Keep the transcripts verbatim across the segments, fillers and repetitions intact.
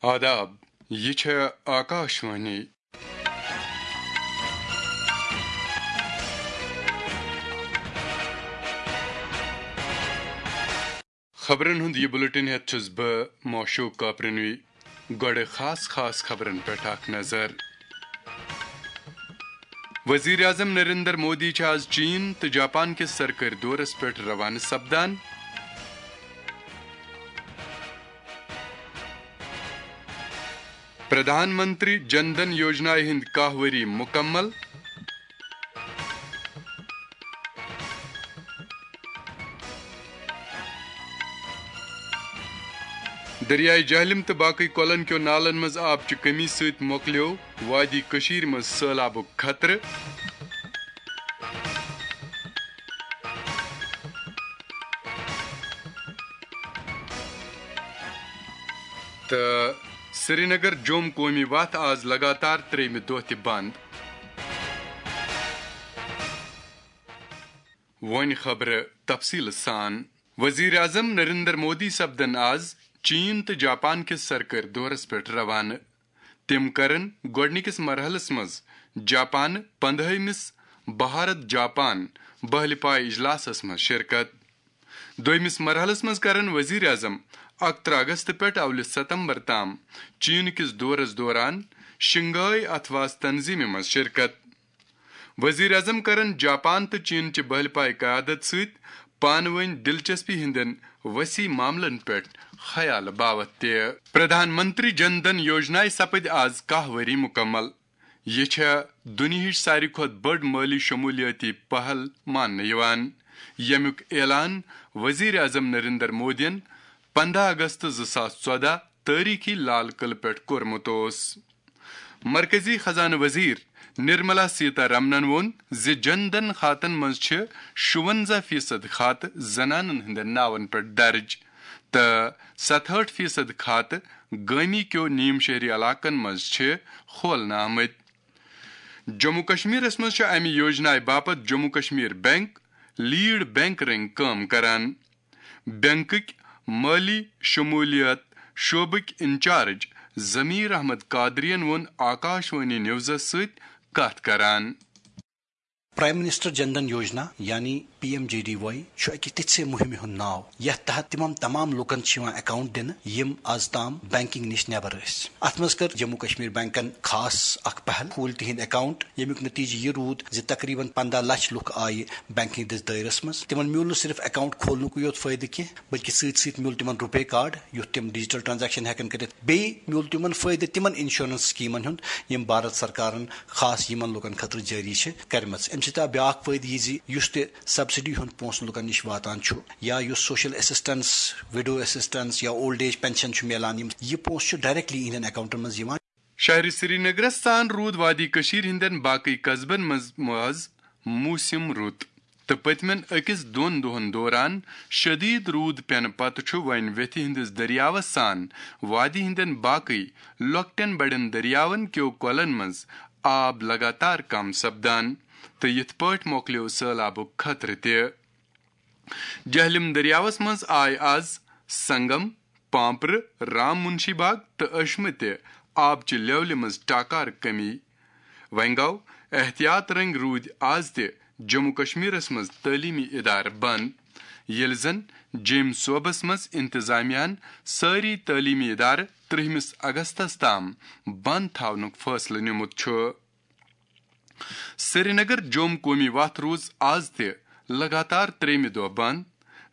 آداب، یہِ چھےٚ آکاشوانی۔ خبرن ہُنٛد یہِ بُلٹن ہٮ۪تھ چھُس بہٕ موشوق کاپرنوی۔ گۄڈٕ خاص خاص خبرن پٮ۪ٹھ اکھ نظر۔ وزیر اعظم نریندر مودی چھِ آز چین تہٕ جاپان کِس سرکٲرۍ دورس پٮ۪ٹھ روانہٕ سپدان۔ پردھان منتری جن دھن یوجنایہِ ہٕنٛدۍ کاہ ؤری مُکمل۔ دریاے جہلم تہٕ باقٕے کۄلن کیو نالن منٛز آب چہِ کمی سۭتۍ مۄکلیو وادی کٔشیٖرِ منٛز سٔہلابُک خطرٕ۔ تہٕ سرینگر جوم قومی وتھ آز لگاتار ترٛیٚیمہِ دۄہ تہِ بند۔ وۄنۍ خبرٕ تفصیٖلہٕ سان۔ وزیر اعظم نریندر مودی سپدن آز چین تہٕ جاپان کِس سرکٲرۍ دورس پٮ۪ٹھ روانہٕ۔ تِم کرن گۄڈٕنِکِس مرحلس منٛز جاپان پندہٲیمِس بھارت جاپان بہلہِ پایہِ اجلاسس منٛز شرکت۔ دوٚیمِس مرحلس منٛز کرن وزیر اعظم اکترہ اگست پٮ۪ٹھ اولہِ ستمبر تام چین کِس دورس دوران شنگھائی اتھواس تنظیمہِ منٛز شرکت۔ وزیر اعظم کرن جاپان تہٕ چین چہِ بہلہِ پایہِ قیادت سۭتۍ پانہٕ وٲنۍ دلچسپی ہٕنٛدٮ۪ن وسیع معاملن پٮ۪ٹھ خیال باوتھ تہِ۔ پردھان منتری جن دھن یوجنایہِ سپٕدۍ آز کاہ ؤری مُکمل۔ یہِ چھےٚ دُنیاہٕچ ساروی کھۄتہٕ بٔڑ مٲلی شمولیٲتی پہل ماننہٕ یِوان، ییٚمیُک اعلان وزیر اعظم نریندر مودیَن پندہ اگست زٕ ساس ژۄدہ تٲریخی لال قلعہٕ پٮ۪ٹھ کوٚرمُت اوس۔ مرکزی خزانہٕ وزیر نرملا سیتا رمنن ووٚن زِ جن دھن کھاتن منٛز چھِ شُونزہ فیصد کھاتہٕ زنانن ہٕنٛدٮ۪ن ناون پٮ۪ٹھ درج تہٕ ستہٲٹھ فیصد کھاتہٕ گٲمی کیو نیم شہری علاقن منٛز چھِ کھولنہٕ آمٕتۍ۔ جموں کشمیرس منٛز چھُ امہِ یوجنایہِ باپتھ Jammu Kashmir bank lead bank رنگۍ کٲم کران۔ بینکٕکۍ مٲلی شمولیت شعبٕکۍ انچارج ضمیر احمد قادریَن ووٚن آکاشوانی نیوزس سۭتۍ کتھ کران۔ پرائم منسٹر جن دھن یوجنا یعنی P M J D Y چھُ اکہِ تِژھِ مُہِمہِ ہُنٛد ناو، یتھ تحت تِمن تمام لوٗکن چھِ یِوان اکاؤنٹ دِنہٕ، یِم از تام بینکنگ نِش نٮ۪بر ٲسۍ۔ اتھ منٛز کٔر جموں کشمیر بینکن خاص اکھ پہل، کھوٗلۍ تِہنٛدۍ اکاؤنٹ، ییٚمیُک نتیجہٕ یہِ روٗد زِ تقریباً پندہ لچھ لُکھ آیہِ بینکنگ ہٕنٛدِس دٲیرس منٛز۔ تِمن میوٗل نہٕ صرف اکاؤنٹ کھولنُکُے یوت فٲیدٕ کینٛہہ، بلکہِ سۭتۍ سۭتۍ میوٗل تِمن روپے کارڈ، یُتھ تِم ڈیجیٹل ٹرانزیکشن ہٮ۪کن کٔرِتھ۔ بیٚیہِ میوٗل تِمن فٲیدٕ تِمن انشورنس سکیمن ہُنٛد، یِم بھارت سرکارن خاص یِمن لوٗکن خٲطرٕ جٲری چھِ کرِمژٕ۔ امہِ سۭتۍ آو بیاکھ فٲیدٕ یہِ زِ یُس تہِ سبسڈی ہُنٛد پونٛسہٕ لوٗکن نِش واتان چھُ، یا یُس سوشل اسسٹنس، وِڈو اسسٹنس یا اولڈ ایج پینشن چھُ میلان، یِم، یہِ پونٛسہٕ چھُ ڈائریکٹلی یِہنٛدٮ۪ن اکاؤنٹن منٛز یِوان۔ شہرِ سرینگرس سان روٗد وادی کٔشیٖر ہٕنٛدٮ۪ن باقٕے قصبن منٛز مُہز موسم رُت، تہٕ پٔتمٮ۪ن أکِس دۄن دۄہن دوران شدید روٗد پینہٕ پتہٕ چھُ وۄنۍ ویتھِ ہٕنٛدِس دٔریاوس سان وادی ہٕنٛدٮ۪ن باقٕے لۄکٹٮ۪ن بڑٮ۪ن دٔریاون کیو کۄلن منٛز آب لگاتار کم سپدان، تہٕ یِتھ پٲٹھۍ مۄکلیو سٔہلابُک خطرٕ تہِ۔ جہلم دٔریاوس منٛز آیہِ آز سنگم، پامپرٕ، رام منشی باغ تہٕ ٲشمہٕ تہِ آبہٕ چہِ لیولہِ منٛز ٹاکار کمی۔ وۄنۍ گوٚو احتیاط رنگۍ روٗدۍ آز تہِ جموں کشمیرس منٛز تعلیمی ادارٕ بند، ییٚلہِ زن جیٚمۍ صوبس منٛز انتظامیہ ہن سٲری تعلیمی ادارٕ ترٛہمِس اگستس تام بند تھاونُک فٲصلہٕ نیومُت چھُ۔ سرینگر جوم قومی وتھ روٗز آز تہِ لگاتار ترٛیٚیمہِ دۄہ بند۔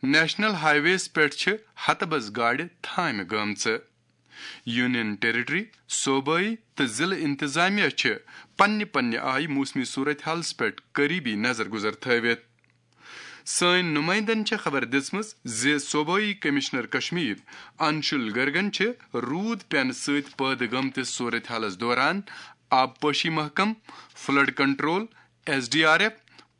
نیشنل ہائی ویز پٮ۪ٹھ چھِ ہتہٕ بس گاڑِ تھامہِ گٔمژٕ۔ یونین ٹیریٹری، صوبٲئی تہٕ ضلعہٕ انتظامیہ چھِ پننہِ پننہِ آیہِ موسمی صورتحالس پٮ۪ٹھ قریبی نظر گزر تھٲوِتھ۔ سٲنۍ نمائندن چھےٚ خبر دِژمٕژ زِ صوبٲئی کمشنر کشمیر انشول گرگن چھِ روٗد پینہٕ سۭتۍ پٲدٕ گٔمتِس صورتحالس دوران آبپاشی محکمہٕ، flood control, S D R F,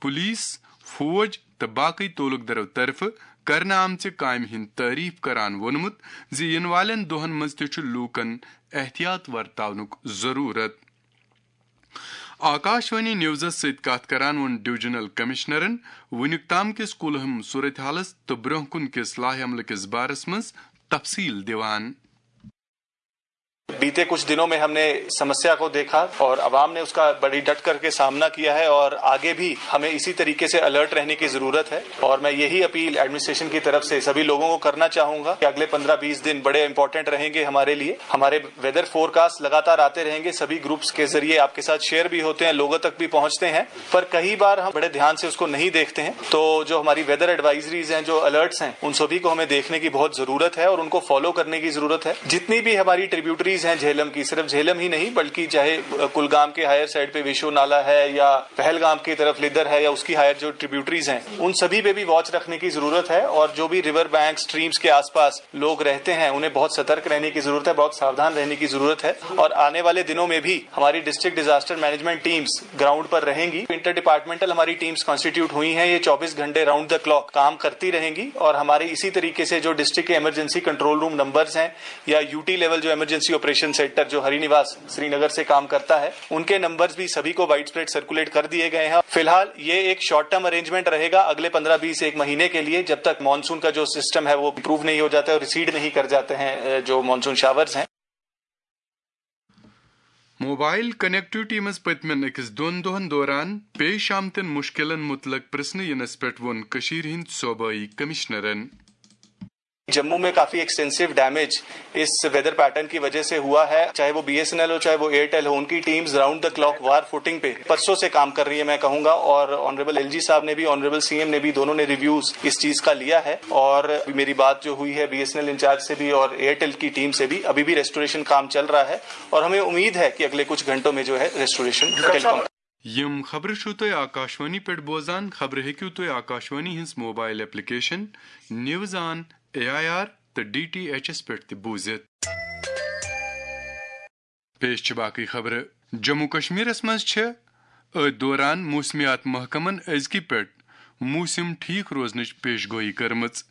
police, فوج تہٕ باقٕے تعلقدارو طرفہٕ کرنہٕ آمژِ کامہِ ہٕنٛد تعریف کران ووٚنمُت زِ یِنہٕ والٮ۪ن دۄہن منٛز تہِ چھُ لوٗکن احتیاط ورتاونُک ضروٗرت۔ آکاشوانی نیوزس سۭتۍ کتھ کران ووٚن ڈویژنل کمشنرن وُنیُک تام کِس کُلہم صورتحالس تہٕ برونٛہہ کُن کِس لاہہِ عملہٕ کِس بارس منٛز تفصیل دِوان۔ बीते कुछ दिनों में हमने समस्या को देखा और आवाम ने उसका बड़ी डट करके सामना किया है और आगे भी हमें इसी तरीके से अलर्ट रहने की जरूरत है। और मैं यही अपील एडमिनिस्ट्रेशन की तरफ से सभी लोगों को करना चाहूंगा कि अगले पन्द्रह बीस दिन बड़े इंपॉर्टेंट रहेंगे हमारे लिए। हमारे वेदर फोरकास्ट लगातार आते रहेंगे, सभी ग्रुप्स के जरिए आपके साथ शेयर भी होते हैं, लोगों तक भी पहुंचते हैं, पर कई बार हम बड़े ध्यान से उसको नहीं देखते हैं। तो जो हमारी वेदर एडवाइजरीज हैं, जो अलर्ट्स हैं, उन सभी को हमें देखने की बहुत जरूरत है और उनको फॉलो करने की जरूरत है। जितनी भी हमारी ट्रिब्यूटरीज हैं झेलम की, सिर्फ झेलम ही नहीं बल्कि चाहे कुलगाम के हायर साइड पे विशो नाला है या पहलगाम की तरफ लिदर है या उसकी हायर जो ट्रिब्यूटरीज हैं, उन सभी पे भी वॉच रखने की जरूरत है। और जो भी रिवर बैंक, स्ट्रीम्स के आसपास लोग रहते हैं, उन्हें बहुत सतर्क रहने की जरूरत है, बहुत सावधान रहने की जरूरत है। और आने वाले दिनों में भी हमारी district disaster management teams ground पर रहेंगी। इंटर डिपार्टमेंटल हमारी टीम्स कॉन्स्टिट्यूट हुई हैं, ये चौबीस घंटे राउंड द क्लॉक काम करती रहेंगी। और हमारे इसी तरीके से जो डिस्ट्रिक्ट के इमरजेंसी कंट्रोल रूम नंबर्स हैं या यूटी लेवल जो इमरजेंसी ऑपरेशन सेंटर जो हरिनिवास श्रीनगर से काम करता है, उनके नंबर्स भी सभी को वाइड स्प्रेड सर्कुलेट कर दिए गए हैं। फिलहाल ये एक शॉर्ट टर्म अरेंजमेंट रहेगा अगले पन्द्रह बीस एक महीने के लिए, जब तक मानसून का जो सिस्टम है वो इम्प्रूव नहीं हो जाता है और रिसीड नहीं कर जाते हैं जो मानसून शावर्स हैं। موبائل کنیکٹیوٹی منٛز پٔتمٮ۪ن أکِس دۄن دۄہَن دوران پیش آمتٮ۪ن مُشکِلَن مُتعلِق پرٛژھنہٕ یِنَس پٮ۪ٹھ ووٚن کٔشیٖرِ ہٕنٛدۍ صوبٲئی کمشنرَن۔ جموں میں کافی ایکسٹینسو ڈیمیج اس ویدر پیٹرن کی وجہ سے ہوا ہے، چاہے وہ بی ایس این ایل ہو، چاہے وہ ایئرٹیل ہو، ان کی teams round the clock war footing پہ پرسوں سے کام کر رہی ہے، میں کہوں گا۔ اور آنریبل ایل جی صاحب نے بھی، آنریبل سی ایم نے بھی، دونوں نے ریویوز اس چیز کا لیا ہے۔ اور میری بات جو ہوئی ہے B S N L incharge سے بھی اور ایئرٹیل کی ٹیم سے بھی، ابھی بھی ریسٹوریشن کام چل رہا ہے اور ہمیں امید ہے کہ اگلے کچھ گھنٹوں میں جو ہے ریسٹوریشن ویلکم۔ یِم خبرٕ چھِو تُہۍ آکاشوانی پٮ۪ٹھ بوزان۔ خبرٕ ہیٚکِو تُہۍ آکاشوانی ہٕنٛز mobile application, news on A I R تہٕ ڈی ٹی ایچ ایس پٮ۪ٹھ تہِ بوٗزِتھ۔ پیش چھِ باقٕے خبرٕ۔ جموں کشمیرس منٛز چھِ أتھۍ دوران موسمیات محکمن أزکہِ پٮ۪ٹھ موسم ٹھیک روزنٕچ پیش گویی کٔرمٕژ۔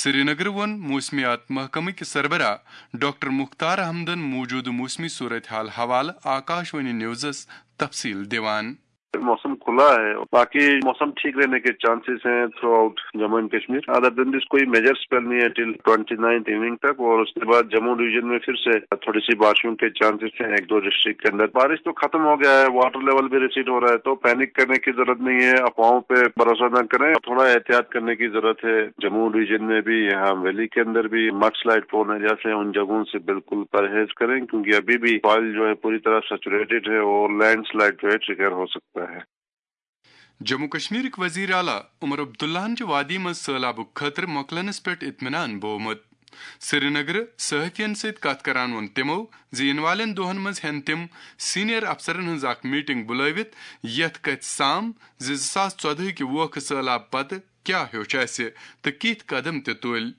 سرینگرٕ ووٚن موسمیات محکمہٕ کہِ سربراہ ڈاکٹر مختار احمدن موجودٕ موسمی صورتحال حوالہٕ آکاشوانی نیوزس تفصیل دِوان۔ موسم کھلا ہے، باقی موسم ٹھیک رہنے کے چانسز ہیں through out Jammu and Kashmir. Other دین دس کوئی میجر اسپیل نہیں ہے ٹل ٹوئنٹی نائنتھ ایوننگ تک، اور اس کے بعد جموں ڈویژن میں پھر سے تھوڑی سی بارشوں کے چانسز ہیں ایک دو ڈسٹرکٹ کے اندر۔ بارش تو ختم ہو گیا ہے، واٹر لیول بھی ریسیڈ ہو رہا ہے، تو پینک کرنے کی ضرورت نہیں ہے، افواہوں پہ بھروسہ نہ کریں، تھوڑا احتیاط کرنے کی ضرورت ہے۔ جموں ڈویژن میں بھی، یہاں ویلی کے اندر بھی مڈ سلائڈ پرون ایریا سے ان جگہوں سے بالکل پرہیز کریں، کیونکہ ابھی بھی سوائل جو ہے پوری طرح سیچوریٹڈ ہے اور لینڈ سلائڈ جو ہے ٹریگر ہو سکتا ہے۔ جموں کشمیرٕکۍ وزیر اعلیٰ عمر عبداللہن چھِ وادی منٛز سٔہلابُک خطرٕ مۄکلنس پٮ۪ٹھ اطمینان بوومُت۔ سرینگرٕ صحافین سۭتۍ کتھ کران ووٚن تِمو زِ یِنہٕ والٮ۪ن دۄہن منٛز ہٮ۪ن تِم سینئر افسرن ہٕنٛز اکھ میٹنگ بُلٲوِتھ، یتھ کتھِ سام زِ زٕ ساس ژۄدہٕکۍ ووکھٕ سٔہلاب پتہٕ کیٛاہ ہیوٚچھ اسہِ تہٕ کِتھۍ قدم تہِ تُلۍ۔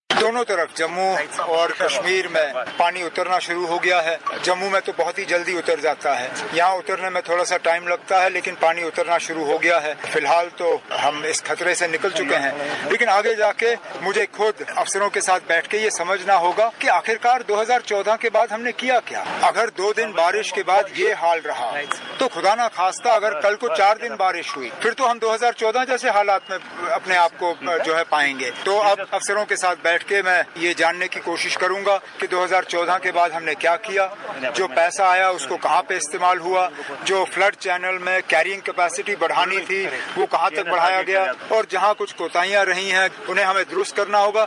دونوں طرف جموں اور کشمیر میں پانی اترنا شروع ہو گیا ہے۔ جموں میں تو بہت ہی جلدی اتر جاتا ہے، یہاں اترنے میں تھوڑا سا ٹائم لگتا ہے، لیکن پانی اترنا شروع ہو گیا ہے۔ فی الحال تو ہم اس خطرے سے نکل چکے ہیں، لیکن آگے جا کے مجھے خود افسروں کے ساتھ بیٹھ کے یہ سمجھنا ہوگا کہ آخرکار دو ہزار چودہ کے بعد ہم نے کیا کیا۔ اگر دو دن بارش کے بعد یہ حال رہا تو خدا نہ خواستہ اگر کل کو چار دن بارش ہوئی، پھر تو ہم دو ہزار چودہ جیسے حالات میں اپنے آپ کو جو ہے پائیں گے۔ تو اب افسروں کے ساتھ بیٹھ کے میں یہ جاننے کی کوشش کروں گا کہ دو ہزار چودہ کے بعد ہم نے کیا کیا، جو پیسہ آیا اس کو کہاں پہ استعمال ہوا، جو فلڈ چینل میں کیرینگ کیپیسٹی بڑھانی تھی وہ کہاں تک بڑھایا گیا، اور جہاں کچھ کوتاہیاں رہی ہیں انہیں ہمیں درست کرنا ہوگا۔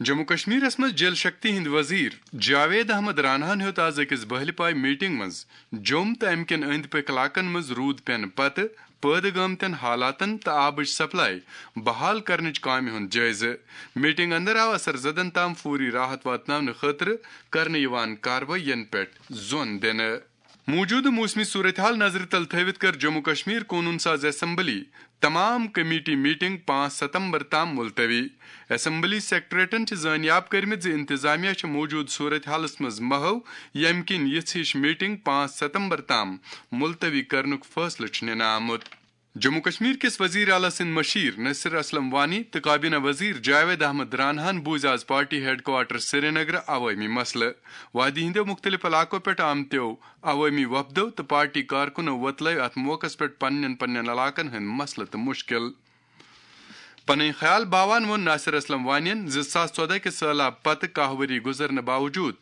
جموں کشمیرس منٛز جل شکتی ہٕنٛدۍ وزیر جاوید احمد راناہن ہیوٚت از أکِس بہلہِ پایہِ میٹنگ منٛز جوٚم تہٕ امہِ کٮ۪ن أنٛدۍ پٔکۍ علاقن منٛز روٗد پٮ۪نہٕ پتہٕ پٲدٕ گٲمتٮ۪ن حالاتن تہٕ آبٕچ سپلائی بحال کرنٕچ کامہِ ہُنٛد جٲیزٕ۔ میٹنگ اندر آو اثر زدن تام فوری راحت واتناونہٕ خٲطرٕ کرنہٕ یِوان کاروٲیین پٮ۪ٹھ زون دِنہٕ۔ موجودٕ موسمی صورتحال نظرِ تل تھٲوِتھ کٔر جموں کشمیر قونوٗن ساز اسمبلی تمام کمیٹی میٹنگ پانٛژھ ستمبر تام ملتوی۔ اسمبلی سیکرٹریٹن چھِ زٲنیاب کٔرمٕژ زِ انتظامیہ چھِ موجودٕ صورتحالس منٛز محو، ییٚمہِ کِنۍ یِژھ ہِش میٹنگ پانٛژھ ستمبر تام ملتوی کرنُک فٲصلہٕ چھُ نِنہٕ آمُت۔ جموں کشمیر کِس وزیر اعلیٰ سٕنٛدۍ مشیر نصیر اسلم وانی تہٕ کابینہ وزیر جاوید احمد راناہن بوٗزۍ از پارٹی ہیڈ کوارٹر سرینگرٕ عوٲمی مسلہٕ۔ وادی ہٕنٛدیو مُختٔلِف علاقو پٮ۪ٹھ آمتیو عوٲمی وفدو تہٕ پارٹی کارکُنو وۄتلٲوۍ اَتھ موقعس پٮ۪ٹھ پننٮ۪ن پننٮ۪ن علاقن ہٕنٛدۍ مسلہٕ تہٕ مُشکِل۔ پنٕنۍ خیال باوان ووٚن ناصر اسلم وانین زِ زٕ ساس ژۄدہ کہِ سہلاب پتہٕ کاہ ؤری گُزرنہٕ باوجود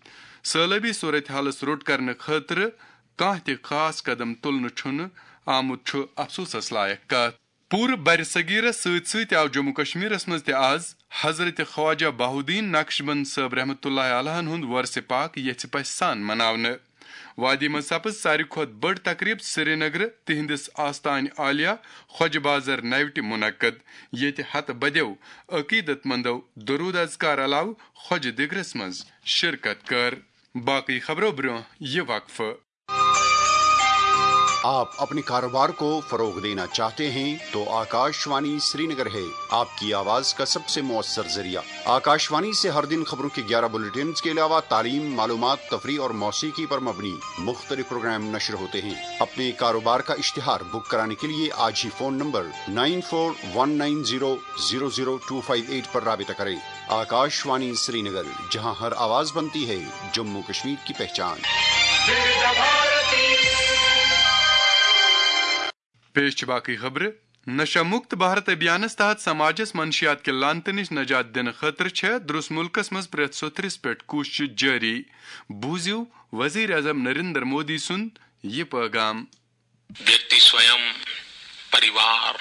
سہلٲبی صورتحالس روٚٹ کرنہٕ خٲطرٕ کانٛہہ تہِ خاص قدم تُلنہٕ چھُنہٕ آمُت، چھُ افسوسس لایق کتھ۔ پوٗرٕ برِ صغیرس سۭتۍ سۭتۍ آو جموں کشمیرس منٛز تہِ آز حضرت خواجہ بہاؤالدین نقشبند صٲب رحمتہ اللہ علیہن ہُنٛد وۄرثہِ پاک یژھِ پژھِ سان مناونہٕ۔ وادی منٛز سپٕز ساروی کھۄتہٕ بٔڑ تقریب سرینگرٕ تِہنٛدِس آستانہِ عالیہ خۄجہِ بازر نوِ ٹہِ منعقد، ییٚتہِ ہتہٕ بدیو عقیدت مندو درود اذکار علاوٕ خۄجہِ دِگرس منٛز شرکت کٔر۔ باقٕے خبرو برٛونٛہہ یہِ وقفہٕ۔ आप अपने कारोबार को फरोग देना चाहते हैं तो आकाशवाणी श्रीनगर है आपकी आवाज का सबसे मौसर जरिया। आकाशवाणी से हर दिन खबरों के ग्यारह बुलेटिन के अलावा तालीम, मालूमात, तफरीह और मौसीकी पर मबनी मुख्तलिफ प्रोग्राम नश्र होते हैं। अपने कारोबार का इश्तिहार बुक कराने के लिए आज ही phone number nine four one nine zero zero zero two five eight पर राबिता करें। आकाशवाणी श्रीनगर, जहां हर आवाज बनती है जम्मू कश्मीर की पहचान। پیش چھِ باقٕے خبرٕ۔ نشہ مکت بھارت ابھیانس تحت سماجس منشیات کہِ لعنتہٕ نِش نجات دِنہٕ خٲطرٕ چھےٚ درٛس مُلکس منٛز پرٛٮ۪تھ سوٚتھرِس پٮ۪ٹھ کوٗشش جٲری۔ بوٗزِو وزیر اعظم نریندر مودی سُنٛد یہِ پٲغام۔ व्यक्ति स्वयं, परिवार,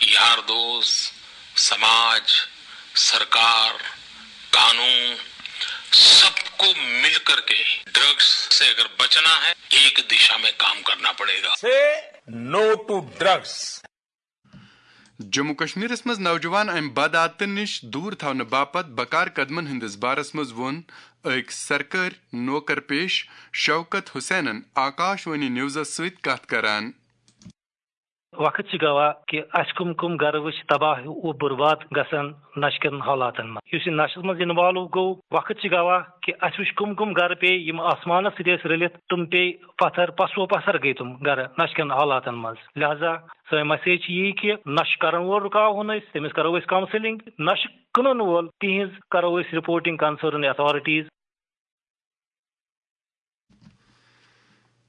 यार दोस्त, समाज, सरकार, कानून, सबको मिलकर के ड्रग्स से अगर बचना है, एक दिशा में काम करना पड़ेगा। Say no to drugs. Jammu کشمیرس منٛز نوجوان امہِ بد عادتن نِش دوٗر تھاونہٕ باپتھ بکار قدمن ہٕنٛدِس بارس منٛز ووٚن أکۍ سرکٲرۍ نوکر پیش شوکت حسینن آکاش وانی نیوزس سۭتۍ کتھ کران۔ وقت چھِ گواہ کہِ اسہِ کم کم گرٕ وٕچھ تباہ و برباد گژھان نشہٕ کٮ۪ن حالاتن منٛز۔ یُس یہِ نشس منٛز انوالو گوٚو، وقت چھِ گواہ کہِ اسہِ وٕچھ کم کم گرٕ پیٚیہِ یِم آسمانس سۭتۍ ٲسۍ رٔلِتھ، تِم پیٚیہِ پتھر، پسو پتھر گٔے تِم گرٕ نشہٕ کٮ۪ن حالاتن منٛز۔ لہذا سٲنۍ message چھِ یی کہِ نشہٕ کرن وول رُکاوہون أسۍ، تٔمِس کرو أسۍ counselling، نشہٕ کٕنن وول تِہنٛز کرو أسۍ reporting concern authorities۔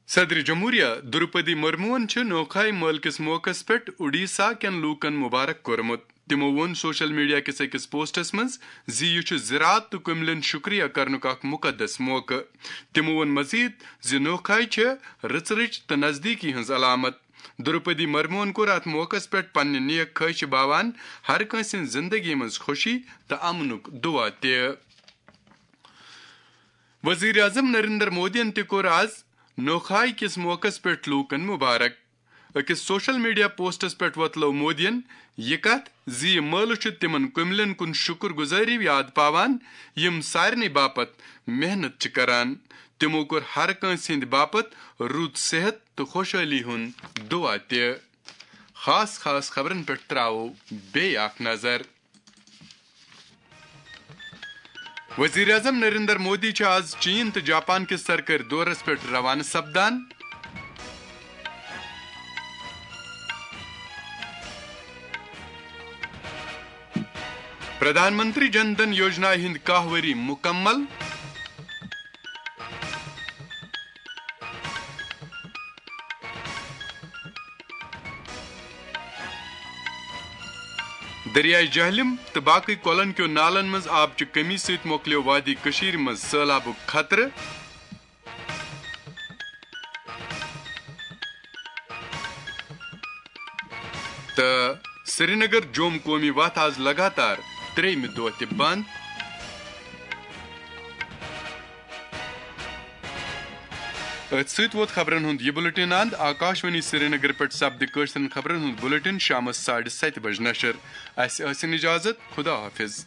صدر جمہوریہ درپدی مرموہن چھُ نوکھائی مٲلہٕ کِس موقعس پٮ۪ٹھ اڈیسہ کٮ۪ن لوٗکن مبارک کوٚرمُت۔ تِمو ووٚن سوشل میڈیا کِس أکِس پوسٹس منٛز زِ یہِ چھُ زراعت تہٕ کُملٮ۪ن شُکریہ کرنُک اکھ مُقدس موقعہٕ۔ تِمو ووٚن مزید زِ نوکھائی چھےٚ رٕژ رٕچ تہٕ نزدیٖکی ہٕنٛز علامت۔ درپدی مرموہن کوٚر اتھ موقعس پٮ۪ٹھ پننہِ نیک خواہشہِ باوان ہر کٲنٛسہِ ہٕنٛز زندگی منٛز خوشی تہٕ امنُک دعا تہِ۔ وزیر اعظم نریندر مودیَن تہِ کوٚر آز نوکھائی کِس موقعس پٮ۪ٹھ لوٗکَن مبارک۔ أکِس سوشل میڈیا پوسٹس پٮ۪ٹھ وۄتلٲو مودیَن یہِ کتھ زِ یہِ مٲلہٕ چھُ تِمن کُملٮ۪ن کُن شُکر گُزٲری یاد پاوان، یِم سارنٕے باپتھ محنت چھِ کران۔ تِمو کوٚر ہر کٲنٛسہِ ہٕنٛدِ باپتھ رُت صحت تہٕ خۄشحٲلی ہُنٛد دُعا تہِ۔ خاص خاص خبرن پٮ۪ٹھ ترٛاوو بیٚیہِ اکھ نظر۔ وزیر اعظم نریندر مودی چھُ آز چین تہٕ جاپان کِس سرکٲرۍ دورس پٮ۪ٹھ روانہٕ سپدان۔ پردھان منتری جن دھن یوجنا ہٕنٛدۍ کاہ ؤری مُکمل۔ دریائے جہلم تہٕ باقٕے کۄلن کیو نالن منٛز آبچہِ کمی سۭتۍ مۄکلیو وادی کٔشیٖرِ منٛز سٔہلابُک خطرٕ۔ تہٕ سرینگر جوم قومی وتھ آز لگاتار ترٛیٚیمہِ دۄہ تہِ بنٛد۔ أتھۍ سۭتۍ ووت خبرن ہُنٛد یہِ بُلٹن اند۔ آکاشوانی سرینگر پٮ۪ٹھ سپدِ کٲشرٮ۪ن خبرن ہُنٛد بُلٹن شامس ساڑِ ستہِ بجہِ نشر۔ اسہِ ٲسِن اجازت۔ خدا حافظ۔